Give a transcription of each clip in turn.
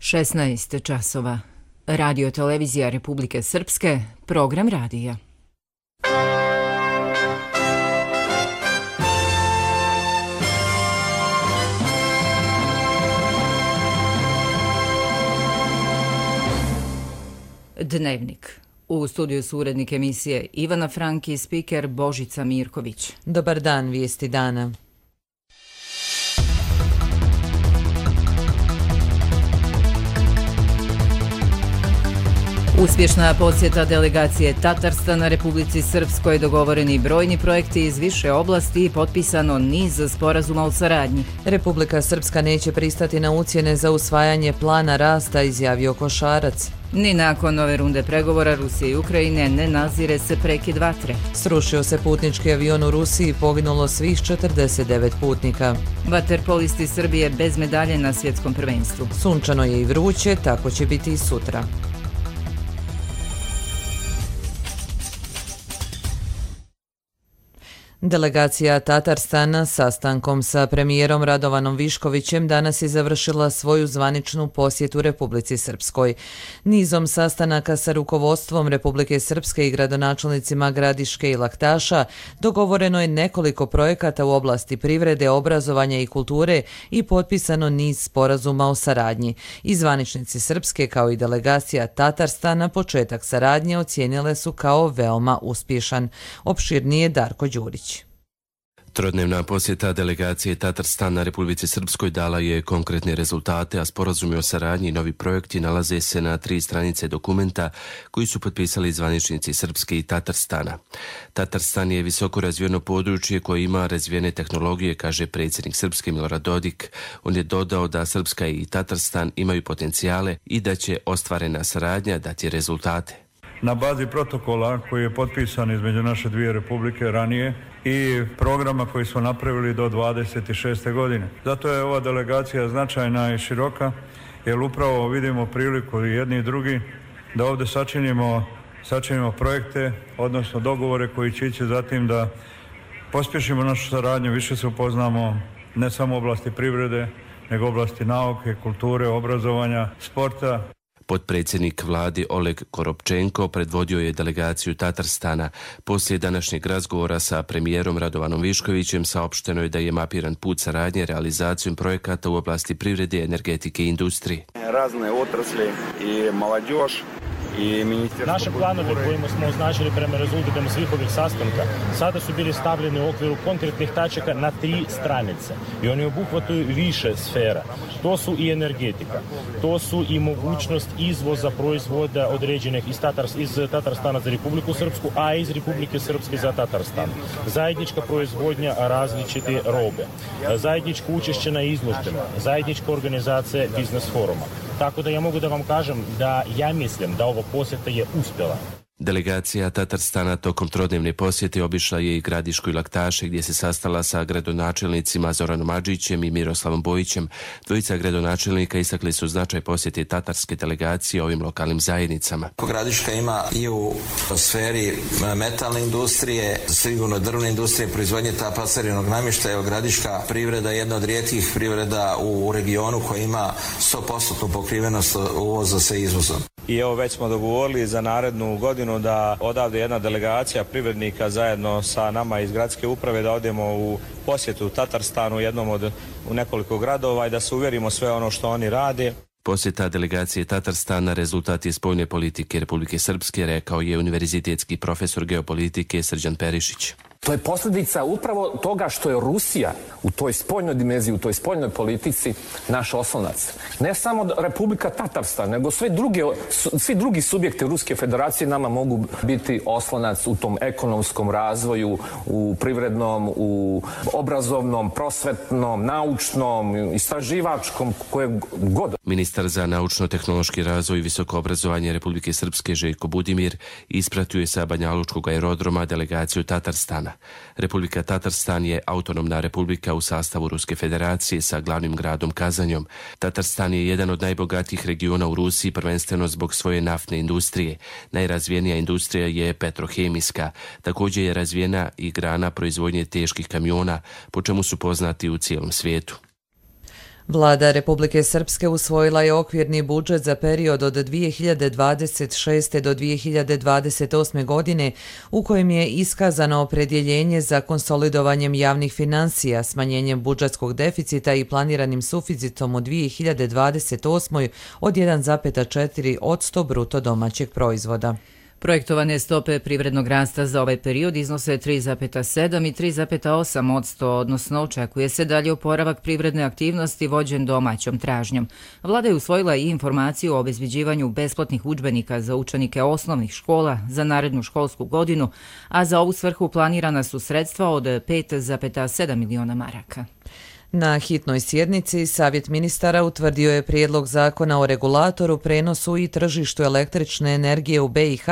16 časova. Radio televizija Republike Srpske, program radija. Dnevnik. U studiju su urednik emisije Ivana Franki i spiker Božica Mirković. Dobar dan, vijesti dana. Uspješna posjeta delegacije Tatarstana Republici Srpskoj, dogovoreni brojni projekti iz više oblasti i potpisano niz sporazuma o saradnji. Republika Srpska neće pristati na ucjene za usvajanje plana rasta, izjavio Košarac. Ni nakon nove runde pregovora Rusije i Ukrajine ne nazire se prekid vatre. Srušio se putnički avion u Rusiji, poginulo svih 49 putnika. Vaterpolisti Srbije bez medalje na svjetskom prvenstvu. Sunčano je i vruće, tako će biti i sutra. Delegacija Tatarstana sastankom sa premijerom Radovanom Viškovićem danas je završila svoju zvaničnu posjetu Republici Srpskoj. Nizom sastanaka sa rukovodstvom Republike Srpske i gradonačelnicima Gradiške i Laktaša dogovoreno je nekoliko projekata u oblasti privrede, obrazovanja i kulture i potpisano niz sporazuma o saradnji. I zvaničnici Srpske kao i delegacija Tatarstana početak saradnje ocijenile su kao veoma uspješan. Opširnije Darko Đurić. Trodnevna posjeta delegacije Tatarstana Republici Srpskoj dala je konkretne rezultate, a sporazumi o saradnji i novi projekti nalaze se na 3 stranice dokumenta koji su potpisali zvaničnici Srpske i Tatarstana. Tatarstan je visoko razvijeno područje koje ima razvijene tehnologije, kaže predsjednik Srpske Milorad Dodik. On je dodao da Srpska i Tatarstan imaju potencijale i da će ostvarena saradnja dati rezultate. Na bazi protokola koji je potpisan između naše dvije republike ranije i programa koji smo napravili do 26. godine. Zato je ova delegacija značajna i široka, jer upravo vidimo priliku i jedni i drugi da ovdje sačinimo projekte, odnosno dogovore koji će ići zatim da pospješimo našu saradnju, više se upoznamo ne samo u oblasti privrede, nego u oblasti nauke, kulture, obrazovanja, sporta. Potpredsjednik vlade Oleg Koropčenko predvodio je delegaciju Tatarstana. Poslije današnjeg razgovora sa premijerom Radovanom Viškovićem saopšteno je da je mapiran put saradnje realizacijom projekata u oblasti privrede, energetike i industrije. Razne otrasle i mlađož. Naše planove kojima smo označili prema rezultatima svih ovih sastanka sada su bili stavljeni u okviru konkretnih tačaka na 3 stranice i oni obuhvataju više sfera. To su i energetika, to su i mogućnost izvoza proizvoda određenih iz Tatarstana za Republiku Srpsku, a iz Republike Srpske za Tatarstan. Zajednička proizvodnja različite robe, zajedničko učešće na izložbama, zajednička organizacija biznes foruma. Tako da ja mogu da vam kažem da ja mislim da ova posjeta je uspjela. Delegacija Tatarstana tokom trodnevne posjete obišla je i Gradišku i Laktaše, gdje se sastala sa gradonačelnicima Zoranom Adžićem i Miroslavom Bojićem. Dvojica gradonačelnika istakli su značaj posjete tatarske delegacije ovim lokalnim zajednicama. Gradiška ima i u sferi metalne industrije, sigurno drvne industrije, proizvodnje pasarinog namještaja. Gradiška privreda je jedna od rijetkih privreda u regionu koja ima 100% pokrivenost uvoza sa izvozom. I evo već smo dogovorili za narednu godinu da odavde jedna delegacija privrednika zajedno sa nama iz gradske uprave da odemo u posjetu u Tatarstanu, jednom od nekoliko gradova i da se uvjerimo sve ono što oni rade. Posjeta delegacije Tatarstana rezultat je spoljne politike Republike Srpske, rekao je univerzitetski profesor geopolitike Srđan Perišić. To je posljedica upravo toga što je Rusija u toj spoljnoj dimenziji, u toj spoljnoj politici naš oslonac. Ne samo Republika Tatarstan, nego svi drugi subjekti Ruske federacije nama mogu biti oslonac u tom ekonomskom razvoju, u privrednom, u obrazovnom, prosvetnom, naučnom, istraživačkom, koje god. Ministar za naučno-tehnološki razvoj i visoko obrazovanje Republike Srpske Željko Budimir ispratio je sa Banjalučkog aerodroma delegaciju Tatarstana. Republika Tatarstan je autonomna republika u sastavu Ruske federacije sa glavnim gradom Kazanjom. Tatarstan je jedan od najbogatijih regiona u Rusiji, prvenstveno zbog svoje naftne industrije. Najrazvijenija industrija je petrohemijska. Također je razvijena i grana proizvodnje teških kamiona, po čemu su poznati u cijelom svijetu. Vlada Republike Srpske usvojila je okvirni budžet za period od 2026. do 2028. godine u kojem je iskazano opredjeljenje za konsolidovanjem javnih financija, smanjenjem budžetskog deficita i planiranim suficitom u 2028. od 1,4% bruto domaćeg proizvoda. Projektovane stope privrednog rasta za ovaj period iznose 3,7 i 3,8%, odnosno očekuje se dalje oporavak privredne aktivnosti vođen domaćom tražnjom. Vlada je usvojila i informaciju o obezbeđivanju besplatnih udžbenika za učenike osnovnih škola za narednu školsku godinu, a za ovu svrhu planirana su sredstva od 5,7 miliona maraka. Na hitnoj sjednici Savjet ministara utvrdio je prijedlog zakona o regulatoru, prenosu i tržištu električne energije u BiH,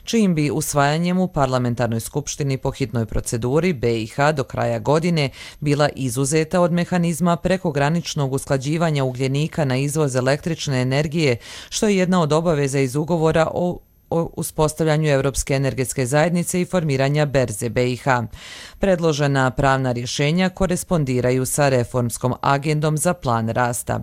čijim bi usvajanjem u parlamentarnoj skupštini po hitnoj proceduri BiH do kraja godine bila izuzeta od mehanizma prekograničnog usklađivanja ugljenika na izvoz električne energije, što je jedna od obaveza iz ugovora o uspostavljanju Europske energetske zajednice i formiranja berze BiH. Predložena pravna rješenja korespondiraju sa reformskom agendom za plan rasta.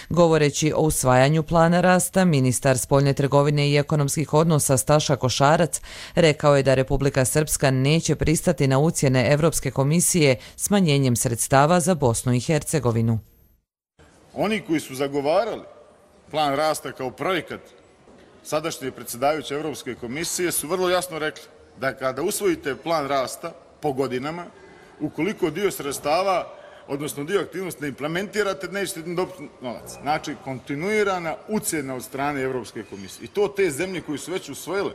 Govoreći o usvajanju plana rasta, ministar spoljne trgovine i ekonomskih odnosa Staša Košarac rekao je da Republika Srpska neće pristati na ucjene Europske komisije smanjenjem sredstava za Bosnu i Hercegovinu. Oni koji su zagovarali plan rasta kao projekat sadašnje predsjedavajuće Europske komisije su vrlo jasno rekli da kada usvojite plan rasta po godinama, ukoliko dio sredstava, odnosno dio aktivnosti ne implementirate, nećete dobiti novac. Znači, kontinuirana ucjena od strane Europske komisije. I to te zemlje koji su već usvojile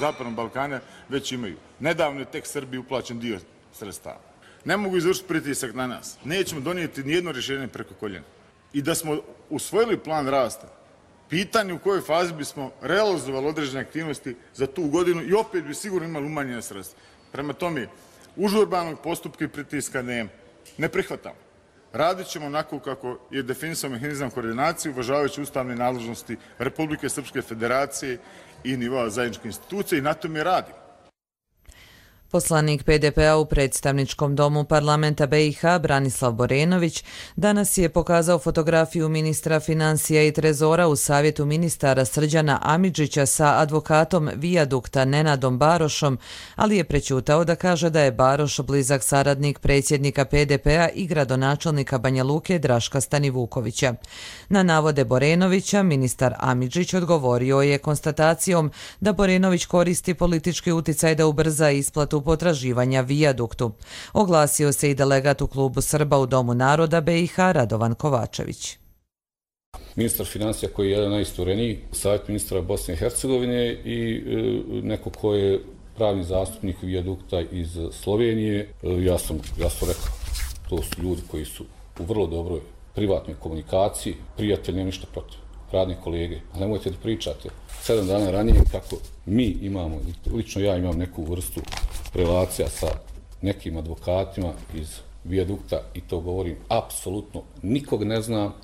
Zapadnog Balkana već imaju. Nedavno je tek Srbiji uplaćen dio sredstava. Ne mogu izvršiti pritisak na nas. Nećemo donijeti nijedno rješenje preko koljena. I da smo usvojili plan rasta, pitanje u kojoj fazi bismo realizovali određene aktivnosti za tu godinu i opet bi sigurno imali umanjene sredstva. Prema tome, užurbanog postupka i pritiska nema. Ne prihvatamo. Radit ćemo onako kako je definisao mehanizam koordinacije, uvažavajući ustavne nadležnosti Republike Srpske Federacije i nivoa zajedničke institucije i na tome radimo. Poslanik PDP-a u predstavničkom domu parlamenta BiH Branislav Borenović danas je pokazao fotografiju ministra financija i trezora u savjetu ministara Srđana Amidžića sa advokatom Vijadukta Nenadom Barošom, ali je prećutao da kaže da je Baroš blizak saradnik predsjednika PDP-a i gradonačelnika Banja Luke Draška Stanivukovića. Na navode Borenovića ministar Amidžić odgovorio je konstatacijom da Borenović koristi politički uticaj da ubrza isplatu potraživanja Vijaduktu. Oglasio se i delegat u klubu Srba u Domu naroda BiH Radovan Kovačević. Ministar financija koji je jedan najistureniji, savjet ministra Bosne i Hercegovine i neko ko je pravni zastupnik Vijadukta iz Slovenije. Ja sam rekao, to su ljudi koji su u vrlo dobroj privatnoj komunikaciji, prijatelj, nema ništa protiv, radni kolege. A nemojte da pričate 7 dana ranije kako mi imamo, lično ja imam neku vrstu relacija sa nekim advokatima iz Vijadukta i to govorim apsolutno, nikog ne znam,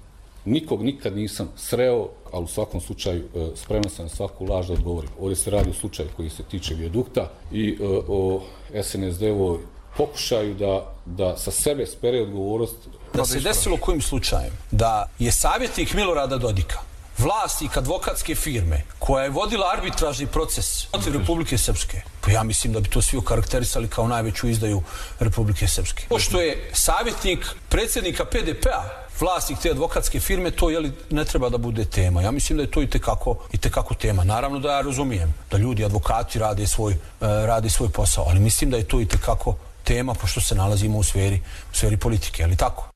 nikog nikad nisam sreo, ali u svakom slučaju spreman sam na svaku laž da odgovorim. Ovdje se radi o slučaju koji se tiče Vijadukta i o SNSD-ovoj pokušaju da sa sebe spere odgovornost. Da se desilo kojim slučajem da je savjetnik Milorada Dodika, vlasnik advokatske firme koja je vodila arbitražni proces protiv Republike Srpske, pa ja mislim da bi to svi okarakterisali kao najveću izdaju Republike Srpske. Pošto je savjetnik predsjednika PDP-a vlasnik te advokatske firme, to ne treba da bude tema. Ja mislim da je to itekako tema. Naravno da ja razumijem da ljudi, advokati rade svoj posao, ali mislim da je to itekako tema pošto se nalazimo u sferi politike, ali tako?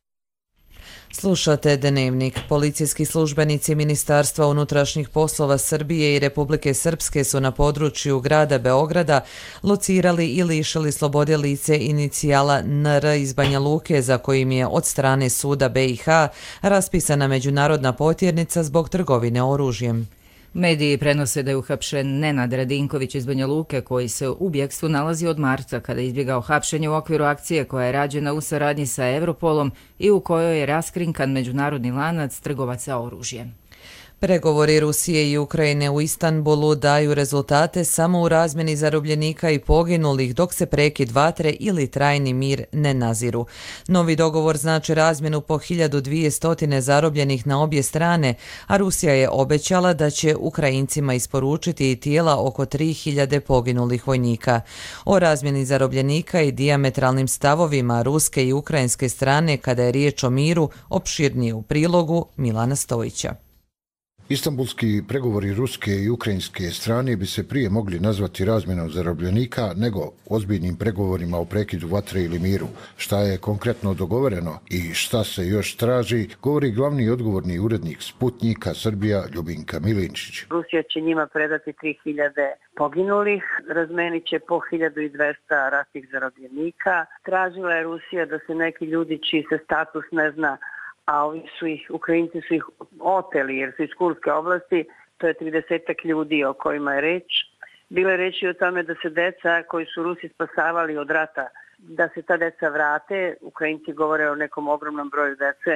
Slušate Dnevnik. Policijski službenici Ministarstva unutrašnjih poslova Srbije i Republike Srpske su na području grada Beograda locirali i lišili slobode lice inicijala NR iz Banja Luke za kojim je od strane suda BiH raspisana međunarodna potjernica zbog trgovine oružjem. Mediji prenose da je uhapšen Nenad Radinković iz Banja Luke koji se u bjegstvu nalazi od marta kada je izbjegao hapšenje u okviru akcije koja je rađena u saradnji sa Europolom i u kojoj je raskrinkan međunarodni lanac trgovaca oružjem. Pregovori Rusije i Ukrajine u Istanbulu daju rezultate samo u razmjeni zarobljenika i poginulih, dok se prekid vatre ili trajni mir ne naziru. Novi dogovor znači razmjenu po 1200 zarobljenih na obje strane, a Rusija je obećala da će Ukrajincima isporučiti i tijela oko 3000 poginulih vojnika. O razmjeni zarobljenika i dijametralnim stavovima ruske i ukrajinske strane kada je riječ o miru opširnije u prilogu Milana Stojića. Istanbulski pregovori ruske i ukrajinske strane bi se prije mogli nazvati razmjenom zarobljenika nego ozbiljnim pregovorima o prekidu vatre ili miru. Šta je konkretno dogovoreno i šta se još traži, govori glavni odgovorni urednik Sputnjika Srbija Ljubinka Milinčić. Rusija će njima predati 3000 poginulih, razmenit će po 1200 ratnih zarobljenika. Tražila je Rusija da se neki ljudi čiji se status ne zna, a Ukrajinci su ih oteli jer su iz Kurske oblasti, to je 30 ljudi o kojima je reč. Bilo je reći o tome da se deca koji su Rusi spasavali od rata, da se ta deca vrate. Ukrajinci govore o nekom ogromnom broju dece,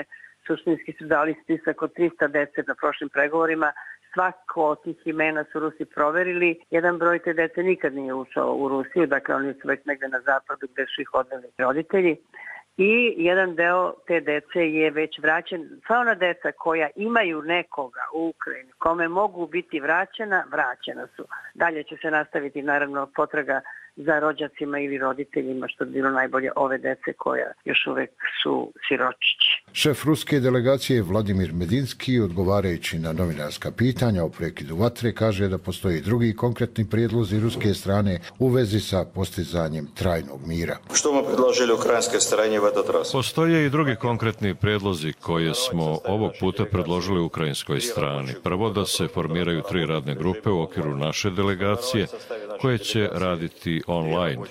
suštinski su dali spisak od 300 dece na prošlim pregovorima. Svako od tih imena su Rusi proverili. Jedan broj te dece nikad nije ušao u Rusiju, dakle oni su već negde na zapadu gde su ih odveli roditelji. I jedan deo te dece je već vraćen. Sva ona deca koja imaju nekoga u Ukrajini, kome mogu biti vraćena su. Dalje će se nastaviti naravno potraga za rođacima ili roditeljima, što bi bilo najbolje ove dece koja još uvek su siročići. Šef ruske delegacije Vladimir Medinski, odgovarajući na novinarska pitanja o prekidu vatre, kaže da postoji drugi konkretni prijedlozi ruske strane u vezi sa postizanjem trajnog mira. Što smo predložili ukrajinske strane v этот раз? Postoje i drugi konkretni prijedlozi koje smo ovog puta predložili ukrajinskoj strani. Prvo, da se formiraju 3 radne grupe u okviru naše delegacije koje će raditi online.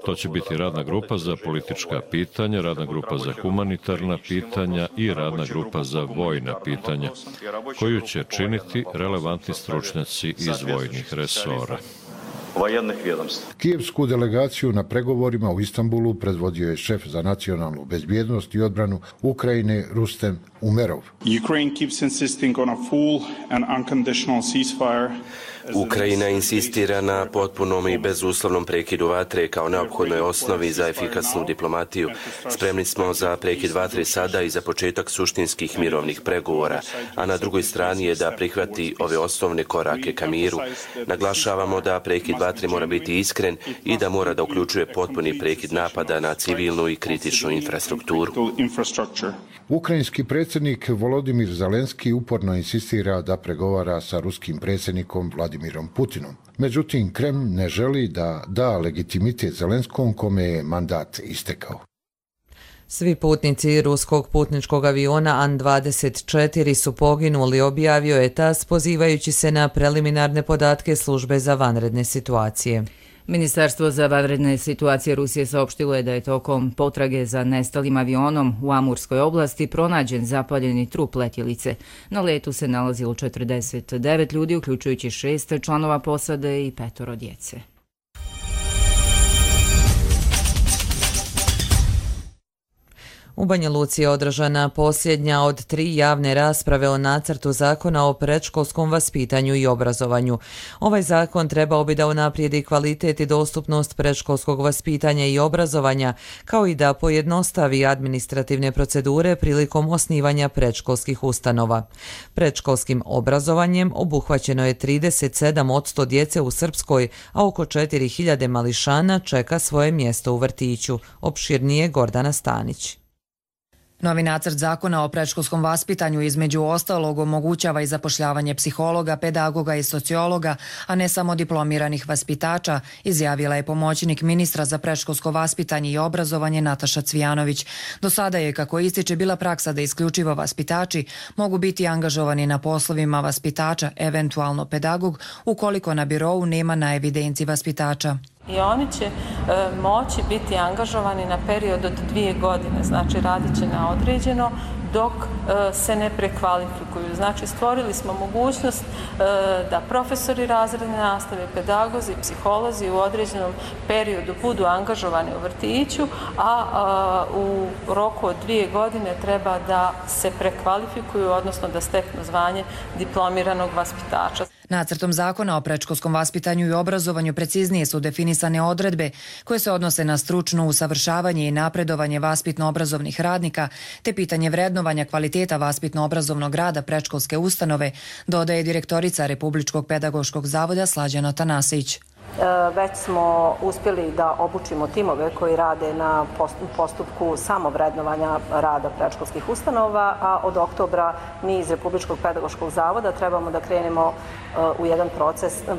To će biti radna grupa za politička pitanja, radna grupa za humanitarna pitanja i radna grupa za vojna pitanja, koju će činiti relevantni stručnjaci iz vojnih resora. Kijevsku delegaciju na pregovorima u Istanbulu predvodio je šef za nacionalnu bezbjednost i odbranu Ukrajine Rustem Umerov. Ukrajina insistira na potpunom i bezuslovnom prekidu vatre kao neophodnoj osnovi za efikasnu diplomatiju. Spremni smo za prekid vatre sada i za početak suštinskih mirovnih pregovora, a na drugoj strani je da prihvati ove osnovne korake ka miru. Naglašavamo da prekid vatre mora biti iskren i da mora da uključuje potpuni prekid napada na civilnu i kritičnu infrastrukturu. Ukrajinski predsjednik Volodimir Zelenski uporno insistira da pregovara sa ruskim predsjednikom Vladimirom Putinom. Međutim, Kreml ne želi da da legitimitet Zelenskom kome je mandat istekao. Svi putnici ruskog putničkog aviona An-24 su poginuli, objavio je TASS pozivajući se na preliminarne podatke službe za vanredne situacije. Ministarstvo za vanredne situacije Rusije saopštilo je da je tokom potrage za nestalim avionom u Amurskoj oblasti pronađen zapaljeni trup letjelice. Na letu se nalazilo 49 ljudi, uključujući 6 članova posade i 5 djece. U Banja Luci je održana posljednja od 3 javne rasprave o nacrtu zakona o predškolskom vaspitanju i obrazovanju. Ovaj zakon trebao bi da unaprijedi kvalitet i dostupnost predškolskog vaspitanja i obrazovanja, kao i da pojednostavi administrativne procedure prilikom osnivanja predškolskih ustanova. Predškolskim obrazovanjem obuhvaćeno je 37% djece u Srpskoj, a oko 4000 mališana čeka svoje mjesto u vrtiću. Opširnije Gordana Stanić. Novi nacrt zakona o predškolskom vaspitanju između ostalog omogućava i zapošljavanje psihologa, pedagoga i sociologa, a ne samo diplomiranih vaspitača, izjavila je pomoćnik ministra za predškolsko vaspitanje i obrazovanje Nataša Cvijanović. Do sada je, kako ističe, bila praksa da isključivo vaspitači mogu biti angažovani na poslovima vaspitača, eventualno pedagog, ukoliko na birou nema na evidenciji vaspitača. I oni će moći biti angažovani na period od 2 godine, znači radit će na određeno dok se ne prekvalifikuju. Znači, stvorili smo mogućnost da profesori razredne nastave, pedagozi, psiholozi u određenom periodu budu angažovani u vrtiću, a u roku od 2 godine treba da se prekvalifikuju, odnosno da steknu zvanje diplomiranog vaspitača. Nacrtom zakona o predškolskom vaspitanju i obrazovanju preciznije su definisane odredbe koje se odnose na stručno usavršavanje i napredovanje vaspitno-obrazovnih radnika, te pitanje vrednovanja kvaliteta vaspitno-obrazovnog rada predškolske ustanove, dodaje direktorica Republičkog pedagoškog zavoda Slađana Tanasić. Već smo uspjeli da obučimo timove koji rade na postupku samovrednovanja rada predškolskih ustanova, a od oktobra mi iz Republičkog pedagoškog zavoda trebamo da krenemo u jedan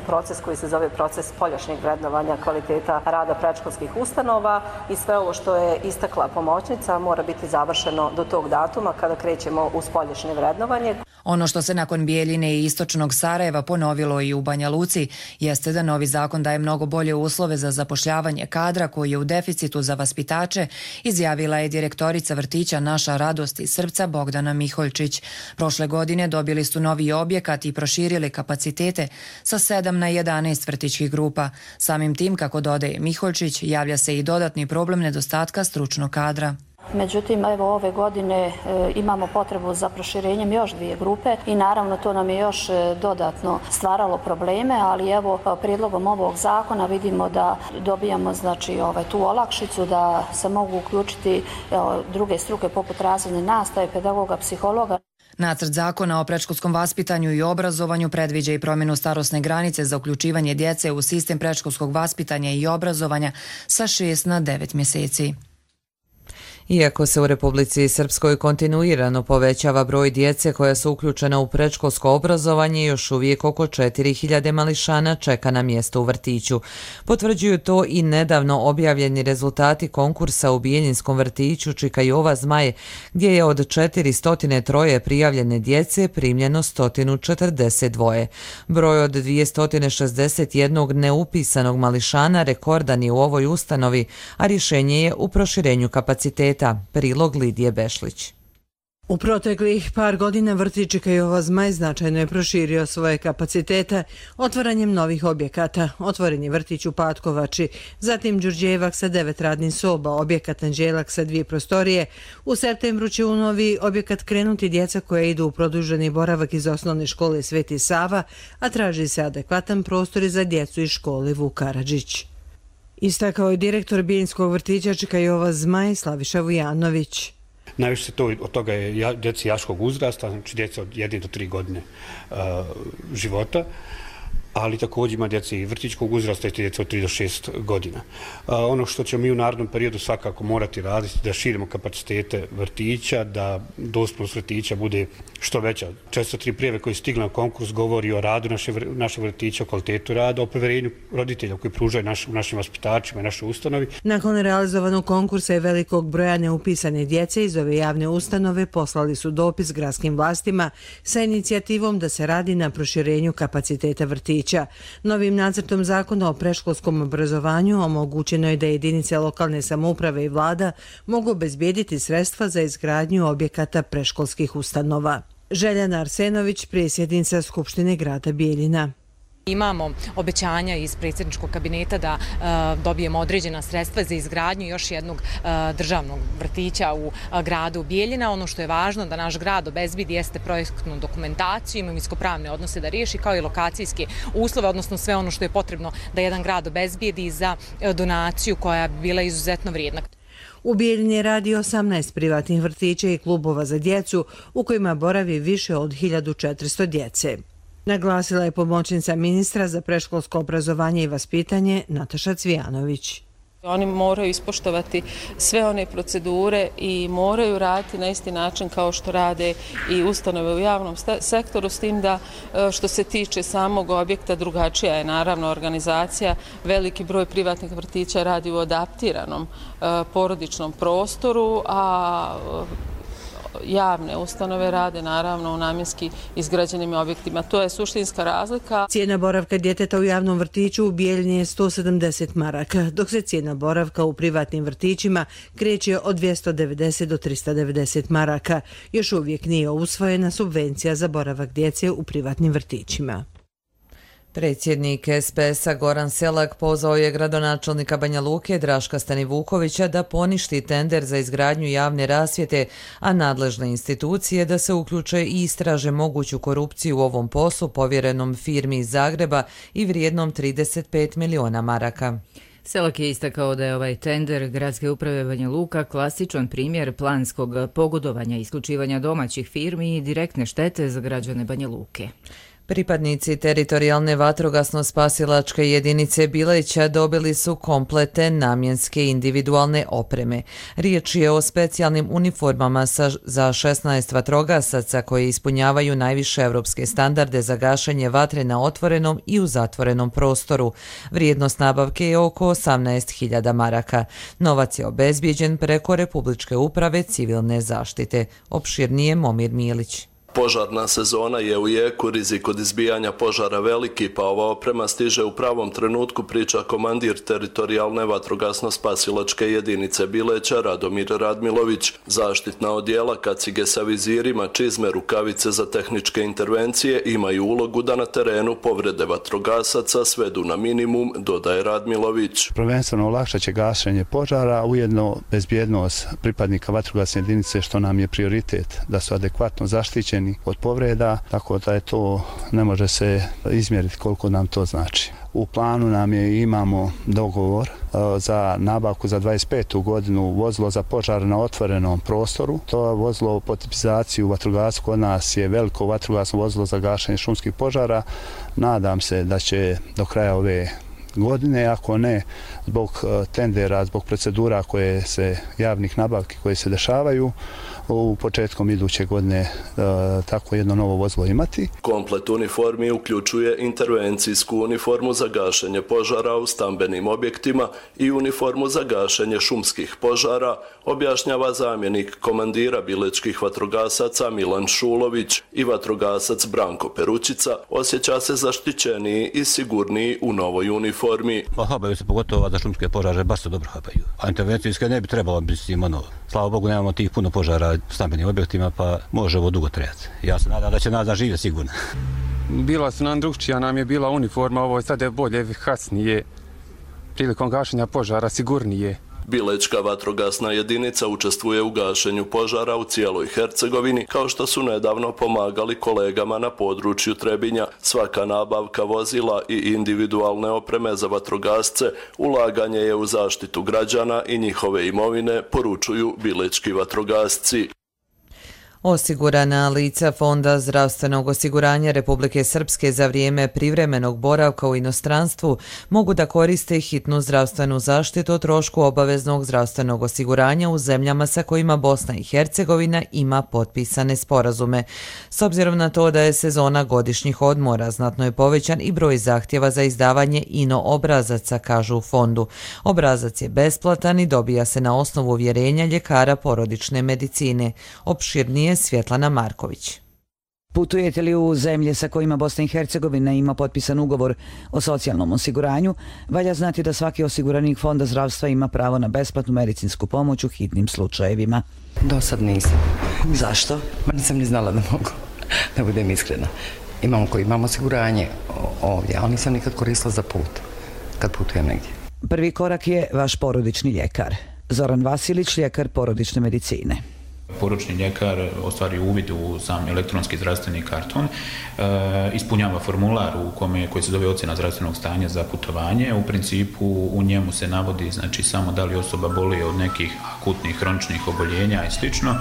proces koji se zove proces spoljašnjeg vrednovanja kvaliteta rada predškolskih ustanova i sve ovo što je istakla pomoćnica mora biti završeno do tog datuma kada krećemo u spoljašnje vrednovanje. Ono što se nakon Bijeljine i istočnog Sarajeva ponovilo i u Banja Luci jeste da novi zakon daje mnogo bolje uslove za zapošljavanje kadra koji je u deficitu za vaspitače, izjavila je direktorica vrtića Naša radost iz srca Bogdana Miholjčić. Prošle godine dobili su novi objekat i proširili kapacitete sa 7 na 11 vrtićkih grupa. Samim tim, kako dodaje Miholjčić, javlja se i dodatni problem nedostatka stručnog kadra. Međutim, evo ove godine imamo potrebu za proširenjem još 2 grupe i naravno to nam je još dodatno stvaralo probleme, ali evo prijedlogom ovog zakona vidimo da dobijamo tu olakšicu da se mogu uključiti druge struke poput razredne nastave, pedagoga, psihologa. Nacrt zakona o predškolskom vaspitanju i obrazovanju predviđa i promjenu starosne granice za uključivanje djece u sistem predškolskog vaspitanja i obrazovanja sa 6 na 9 mjeseci. Iako se u Republici Srpskoj kontinuirano povećava broj djece koja su uključena u predškolsko obrazovanje, još uvijek oko 4000 mališana čeka na mjesto u vrtiću. Potvrđuju to i nedavno objavljeni rezultati konkursa u Bijeljinskom vrtiću Čika Jova Zmaj, gdje je od 403 prijavljene djece primljeno 142. Broj od 261 neupisanog mališana rekordan je u ovoj ustanovi, a rješenje je u proširenju kapaciteta. Prilog Lidije Bešlić. U proteklih par godina vrtić Čika Jova Zmaj značajno je proširio svoje kapacitete otvaranjem novih objekata. Otvoren je vrtić u Patkovači, zatim Đurđevak sa 9 radnih soba, objekat Anđelak sa 2 prostorije. U septembru će u novi objekat krenuti djeca koja idu u produženi boravak iz osnovne škole Sveti Sava, a traži se adekvatan prostor za djecu iz škole Vuk Karadžić. Istakao je direktor Bijeljinskog vrtića Čika Jova Zmaj Slaviša Vujanović. Najviše se od toga je djeci jaškog uzrasta, znači djeca od 1 do 3 godine života, ali također ima djeci i vrtićkog uzrasta i djeca od 3 do 6 godina. Ono što ćemo mi u narednom periodu svakako morati raditi da širimo kapacitete vrtića, da dostupnost vrtića bude što veća. 403 prijave koje stigla na konkurs govori o radu našeg vrtića, o kvalitetu rada, o poverenju roditelja koji pružaju našim vaspitačima i našoj ustanovi. Nakon realizovanog konkursa i velikog broja neupisane djece iz ove javne ustanove poslali su dopis gradskim vlastima sa inicijativom da se radi na proširenju kapaciteta vrtića. Novim nacrtom zakona o predškolskom obrazovanju omogućeno je da jedinice lokalne samouprave i vlada mogu obezbijediti sredstva za izgradnju objekata predškolskih ustanova. Željana Arsenović, predsjednica Skupštine grada Bijeljina. Imamo obećanja iz predsjedničkog kabineta da dobijemo određena sredstva za izgradnju još jednog državnog vrtića u gradu Bijeljina. Ono što je važno da naš grad obezbedi jeste projektnu dokumentaciju, imovinsko-pravne odnose da riješi, kao i lokacijske uslove, odnosno sve ono što je potrebno da jedan grad obezbedi za donaciju koja bi bila izuzetno vrijedna. U Bijeljini radi 18 privatnih vrtića i klubova za djecu u kojima boravi više od 1400 djece. Naglasila je pomoćnica ministra za predškolsko obrazovanje i vaspitanje Nataša Cvijanović. Oni moraju ispoštovati sve one procedure i moraju raditi na isti način kao što rade i ustanove u javnom sektoru, s tim da što se tiče samog objekta drugačija je naravno organizacija. Veliki broj privatnih vrtića radi u adaptiranom porodičnom prostoru, a javne ustanove rade naravno u namjenski izgrađenim objektima. To je suštinska razlika. Cijena boravka djeteta u javnom vrtiću u Bijeljini je 170 maraka, dok se cijena boravka u privatnim vrtićima kreće od 290 do 390 maraka. Još uvijek nije usvojena subvencija za boravak djece u privatnim vrtićima. Predsjednik SPS-a Goran Selak pozvao je gradonačelnika Banja Luke Draška Stanivukovića da poništi tender za izgradnju javne rasvjete, a nadležne institucije da se uključe i istraže moguću korupciju u ovom poslu povjerenom firmi iz Zagreba i vrijednom 35 miliona maraka. Selak je istakao da je ovaj tender Gradske uprave Banja Luka klasičan primjer planskog pogodovanja, isključivanja domaćih firmi i direktne štete za građane Banja Luke. Pripadnici teritorijalne vatrogasno-spasilačke jedinice Bileća dobili su komplete namjenske individualne opreme. Riječ je o specijalnim uniformama za 16 vatrogasaca koje ispunjavaju najviše evropske standarde za gašenje vatre na otvorenom i u zatvorenom prostoru. Vrijednost nabavke je oko 18.000 maraka. Novac je obezbijeđen preko Republičke uprave civilne zaštite. Opširnije Momir Milić. Požarna sezona je u jeku, rizik od izbijanja požara veliki, pa ova oprema stiže u pravom trenutku, priča komandir teritorijalne vatrogasno-spasilačke jedinice Bileća Radomir Radmilović. Zaštitna odjela, kacige sa vizirima, čizme, rukavice za tehničke intervencije imaju ulogu da na terenu povrede vatrogasaca svedu na minimum, dodaje Radmilović. Prvenstveno olakšat će gašenje požara, ujedno bezbjednost pripadnika vatrogasne jedinice, što nam je prioritet, da su adekvatno zaštićeni od povreda, tako da je to, ne može se izmjeriti koliko nam to znači. U planu nam je, imamo dogovor za nabavku za 25. godinu vozilo za požar na otvorenom prostoru. To vozilo po tipizaciju vatrogasku kod nas je veliko vatrogasno vozilo za gašenje šumskih požara. Nadam se da će do kraja ove godine, ako ne zbog tendera, zbog procedura koje se, javnih nabavki koje se dešavaju, u početkom iduće godine tako jedno novo vozilo imati. Komplet uniformi uključuje intervencijsku uniformu za gašenje požara u stambenim objektima i uniformu za gašenje šumskih požara, objašnjava zamjenik komandira bilečkih vatrogasaca Milan Šulović. I vatrogasac Branko Perućica osjeća se zaštićeniji i sigurniji u novoj uniformi. Habaju se pogotovo za šumske požare, baš se dobro habaju. A intervencijske ne bi trebalo biti ono. Slava Bogu, nemamo tih puno požara u stambenim objektima, pa može ovo dugo trajati. Ja se nadam da će nas živjeti sigurno. Bila su nam drugčija, nam je bila uniforma, ovo je sad bolje, efikasnije, prilikom gašenja požara sigurnije. Bilečka vatrogasna jedinica učestvuje u gašenju požara u cijeloj Hercegovini, kao što su nedavno pomagali kolegama na području Trebinja. Svaka nabavka vozila i individualne opreme za vatrogasce ulaganje je u zaštitu građana i njihove imovine, poručuju bilečki vatrogasci. Osigurana lica Fonda zdravstvenog osiguranja Republike Srpske za vrijeme privremenog boravka u inostranstvu mogu da koriste hitnu zdravstvenu zaštitu o trošku obaveznog zdravstvenog osiguranja u zemljama sa kojima Bosna i Hercegovina ima potpisane sporazume. S obzirom na to da je sezona godišnjih odmora, znatno je povećan i broj zahtjeva za izdavanje INO obrazaca, kažu u fondu. Obrazac je besplatan i dobija se na osnovu uvjerenja ljekara porodične medicine. Opširnije Svjetlana Marković. Putujete li u zemlje sa kojima Bosna i Hercegovina ima potpisan ugovor o socijalnom osiguranju, valja znati da svaki osiguranik Fonda zdravstva ima pravo na besplatnu medicinsku pomoć u hitnim slučajevima. Do sad nisam. Zašto? Nisam ni znala da mogu, da budem iskrena. Imam osiguranje ovdje, ali nisam nikad koristila za put, kad putujem negdje. Prvi korak je vaš porodični ljekar. Zoran Vasilić, ljekar porodične medicine. Poručni ljekar ostvari uvid u sam elektronski zdravstveni karton, ispunjava formular koji se zove ocjena zdravstvenog stanja za putovanje. U principu u njemu se navodi znači samo da li osoba boluje od nekih akutnih hroničnih oboljenja i slično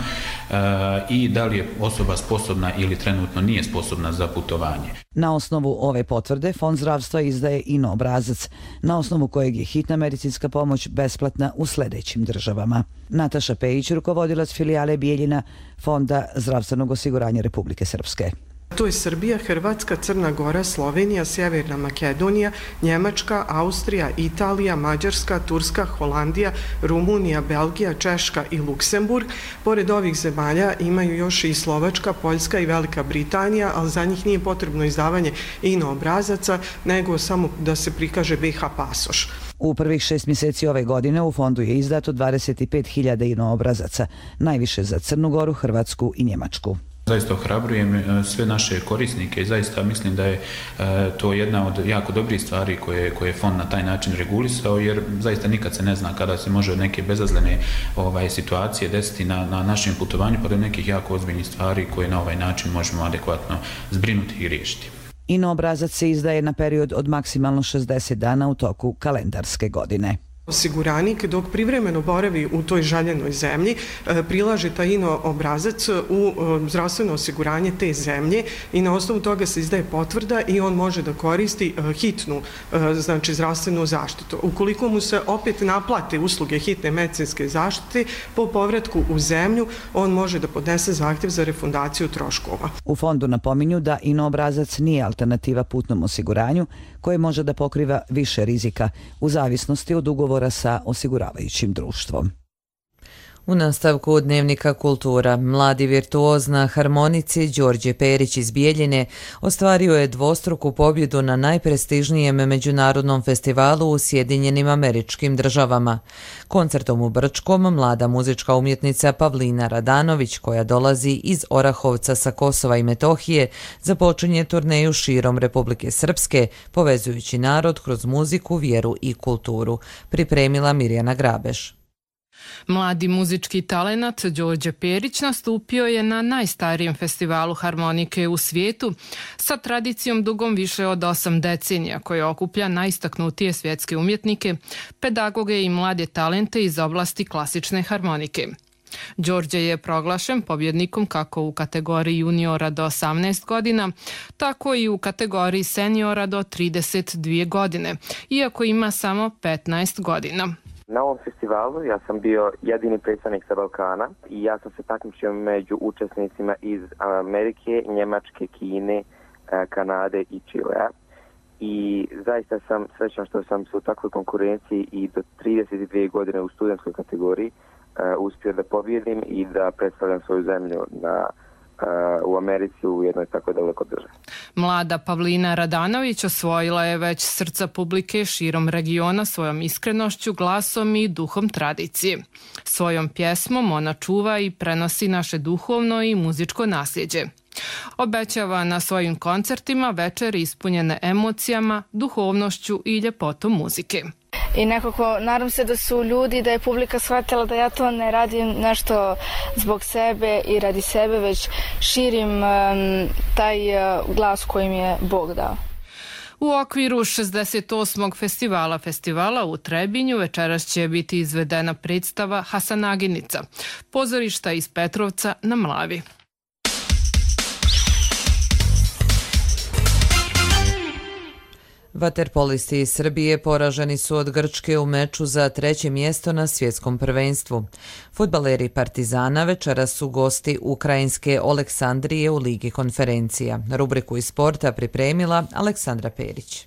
i da li je osoba sposobna ili trenutno nije sposobna za putovanje. Na osnovu ove potvrde Fond zdravstva izdaje INO obrazac, na osnovu kojeg je hitna medicinska pomoć besplatna u sljedećim državama. Nataša Pejić, rukovodilac filijale Bijeljina Fonda zdravstvenog osiguranja Republike Srpske. To je Srbija, Hrvatska, Crna Gora, Slovenija, Sjeverna Makedonija, Njemačka, Austrija, Italija, Mađarska, Turska, Holandija, Rumunija, Belgija, Češka i Luksemburg. Pored ovih zemalja imaju još i Slovačka, Poljska i Velika Britanija, ali za njih nije potrebno izdavanje INO obrazaca, nego samo da se prikaže BiH pasoš. U prvih 6 mjeseci ove godine u fondu je izdato 25.000 INO obrazaca, najviše za Crnu Goru, Hrvatsku i Njemačku. Zaista ohrabrujem sve naše korisnike i zaista mislim da je to jedna od jako dobrih stvari koje je fond na taj način regulisao, jer zaista nikad se ne zna kada se može neke bezazlene situacije desiti na našem putovanju, pa do nekih jako ozbiljnih stvari koje na ovaj način možemo adekvatno zbrinuti i riješiti. INO obrazac se izdaje na period od maksimalno 60 dana u toku kalendarske godine. Osiguranik dok privremeno boravi u toj željenoj zemlji prilaže taj INO obrazac u zdravstveno osiguranje te zemlje i na osnovu toga se izdaje potvrda i on može da koristi hitnu, znači zdravstvenu zaštitu. Ukoliko mu se opet naplate usluge hitne medicinske zaštite po povratku u zemlju, on može da podnese zahtjev za refundaciju troškova. U fondu napominju da INO obrazac nije alternativa putnom osiguranju koje može da pokriva više rizika u zavisnosti od ugovora sa osiguravajućim društvom. U nastavku Dnevnika kultura, mladi virtuoz na harmonici Đorđe Perić iz Bijeljine ostvario je dvostruku pobjedu na najprestižnijem međunarodnom festivalu u Sjedinjenim Američkim Državama. Koncertom u Brčkom mlada muzička umjetnica Pavlina Radanović, koja dolazi iz Orahovca sa Kosova i Metohije, započinje turneju širom Republike Srpske, povezujući narod kroz muziku, vjeru i kulturu. Pripremila Mirjana Grabeš. Mladi muzički talenat Đorđe Perić nastupio je na najstarijem festivalu harmonike u svijetu sa tradicijom dugom više od 8 decenija koja okuplja najistaknutije svjetske umjetnike, pedagoge i mlade talente iz oblasti klasične harmonike. Đorđe je proglašen pobjednikom kako u kategoriji juniora do 18 godina, tako i u kategoriji seniora do 32 godine, iako ima samo 15 godina. Na ovom festivalu ja sam bio jedini predstavnik sa Balkana i ja sam se takmičio među učesnicima iz Amerike, Njemačke, Kine, Kanade i Čilea. I zaista sam srećan što sam se u takvoj konkurenciji i do 32 godine u studentskoj kategoriji uspio da pobjedim i da predstavljam svoju zemlju u Americi u jednoj tako daleko državi. Mlada Pavlina Radanović osvojila je već srca publike širom regiona svojom iskrenošću, glasom i duhom tradicije. Svojom pjesmom ona čuva i prenosi naše duhovno i muzičko nasljeđe. Obećava na svojim koncertima večer ispunjene emocijama, duhovnošću i ljepotom muzike. I nekako nadam se da su ljudi, da je publika shvatila da ja to ne radim nešto zbog sebe i radi sebe, već širim taj glas koji mi je Bog dao. U okviru 68. festivala u Trebinju večeras će biti izvedena predstava Hasanaginica, pozorišta iz Petrovca na Mlavi. Vaterpolisti iz Srbije poraženi su od Grčke u meču za 3. mjesto na svjetskom prvenstvu. Fudbaleri Partizana večeras su gosti ukrajinske Oleksandrije u Ligi konferencija. Rubriku iz sporta pripremila Aleksandra Perić.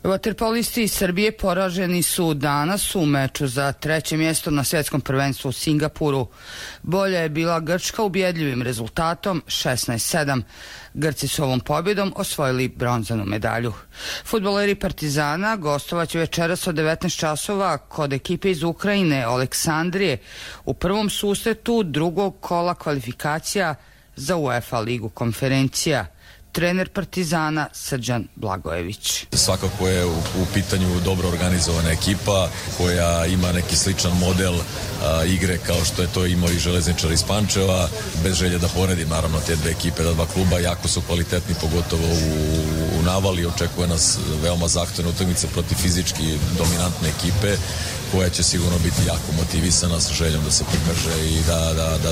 Vaterpolisti iz Srbije poraženi su danas u meču za 3. mjesto na svjetskom prvenstvu u Singapuru. Bolja je bila Grčka ubjedljivim rezultatom 16-7. Grci su ovom pobjedom osvojili bronzanu medalju. Fudbaleri Partizana gostovaće večeras od 19 časova kod ekipe iz Ukrajine Oleksandrije u prvom susretu drugog kola kvalifikacija za UEFA ligu konferencija. Trener Partizana Srđan Blagojević. Svakako je u pitanju dobro organizovana ekipa koja ima neki sličan model igre kao što je to imao i Železničar iz Pančeva. Bez želje da poredim naravno te dve ekipe, da dva kluba jako su kvalitetni, pogotovo u navali. Očekuje nas veoma zahtevna utakmica protiv fizički dominantne ekipe koja će sigurno biti jako motivisana sa željom da se pokaže i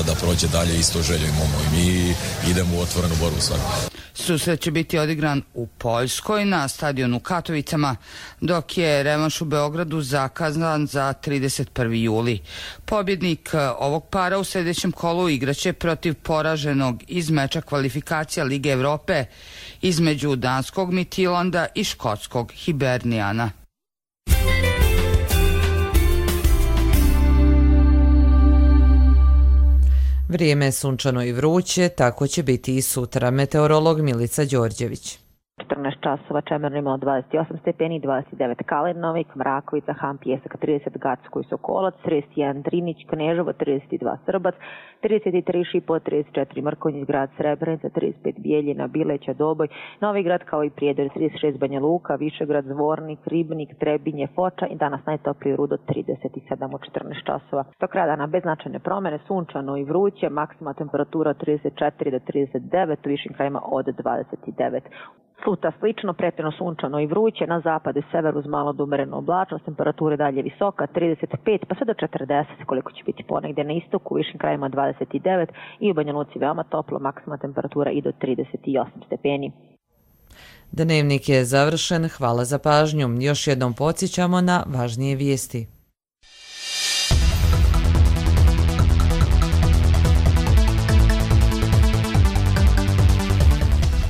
da prođe dalje isto željom imamo i mi idemo u otvorenu borbu svakako. Susret će biti odigran u Poljskoj na stadionu u Katovicama, dok je revanš u Beogradu zakazan za 31. juli. Pobjednik ovog para u sljedećem kolu igraće protiv poraženog iz meča kvalifikacija Lige Evrope između danskog Midtjylanda i škotskog Hibernijana. Vrijeme je sunčano i vruće, tako će biti i sutra. Meteorolog Milica Đorđević. 14 časova Čemerno imalo 28 stepeni, 29 Kalenovik, Mrakovica, Han, Pjesak, 30 Gacko i Sokolac, 31 Drinić, Kneževo, 32 Srbac, 33 Šipo, 34 Mrkonjić, grad Srebrenica, 35 Bijeljina, Bileća, Doboj, Novi Grad kao i Prijedor, 36 Banja Luka, Višegrad, Zvornik, Ribnik, Trebinje, Foča i danas najtopliji Rudo 37 u 14 časova. Do kraja dana bez značajne promjene, sunčano i vruće, maksimalna temperatura od 34 do 39, u višim krajima od 29. Sutra slično, pretjerano sunčano i vruće, na zapadu i severu uz malo do umerenu oblačnost, temperatura dalje visoka, 35 pa sve do 40, koliko će biti ponegdje na istoku, u višim krajima 29 i u Banja Luci veoma toplo, maksimalna temperatura i do 38 stepeni. Dnevnik je završen, hvala za pažnju. Još jednom podsjećamo na važnije vijesti.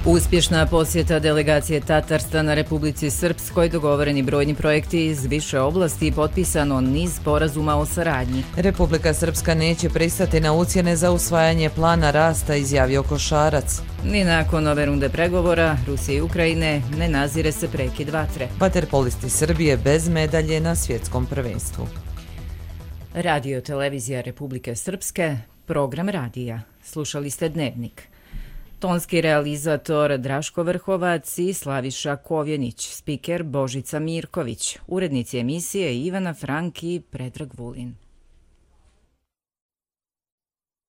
Uspješna posjeta delegacije Tatarstana Republici Srpskoj, dogovoreni brojni projekti iz više oblasti i potpisano niz sporazuma o saradnji. Republika Srpska neće pristati na ucjene za usvajanje plana rasta, izjavio Košarac. Ni nakon ove runde pregovora Rusije i Ukrajine ne nazire se prekid vatre. Vaterpolisti Srbije bez medalje na svjetskom prvenstvu. Radio televizija Republike Srpske, program radija. Slušali ste Dnevnik. Tonski realizator Draško Vrhovac i Slaviša Kovjenić, spiker Božica Mirković, urednici emisije Ivana Frank i Predrag Vulin.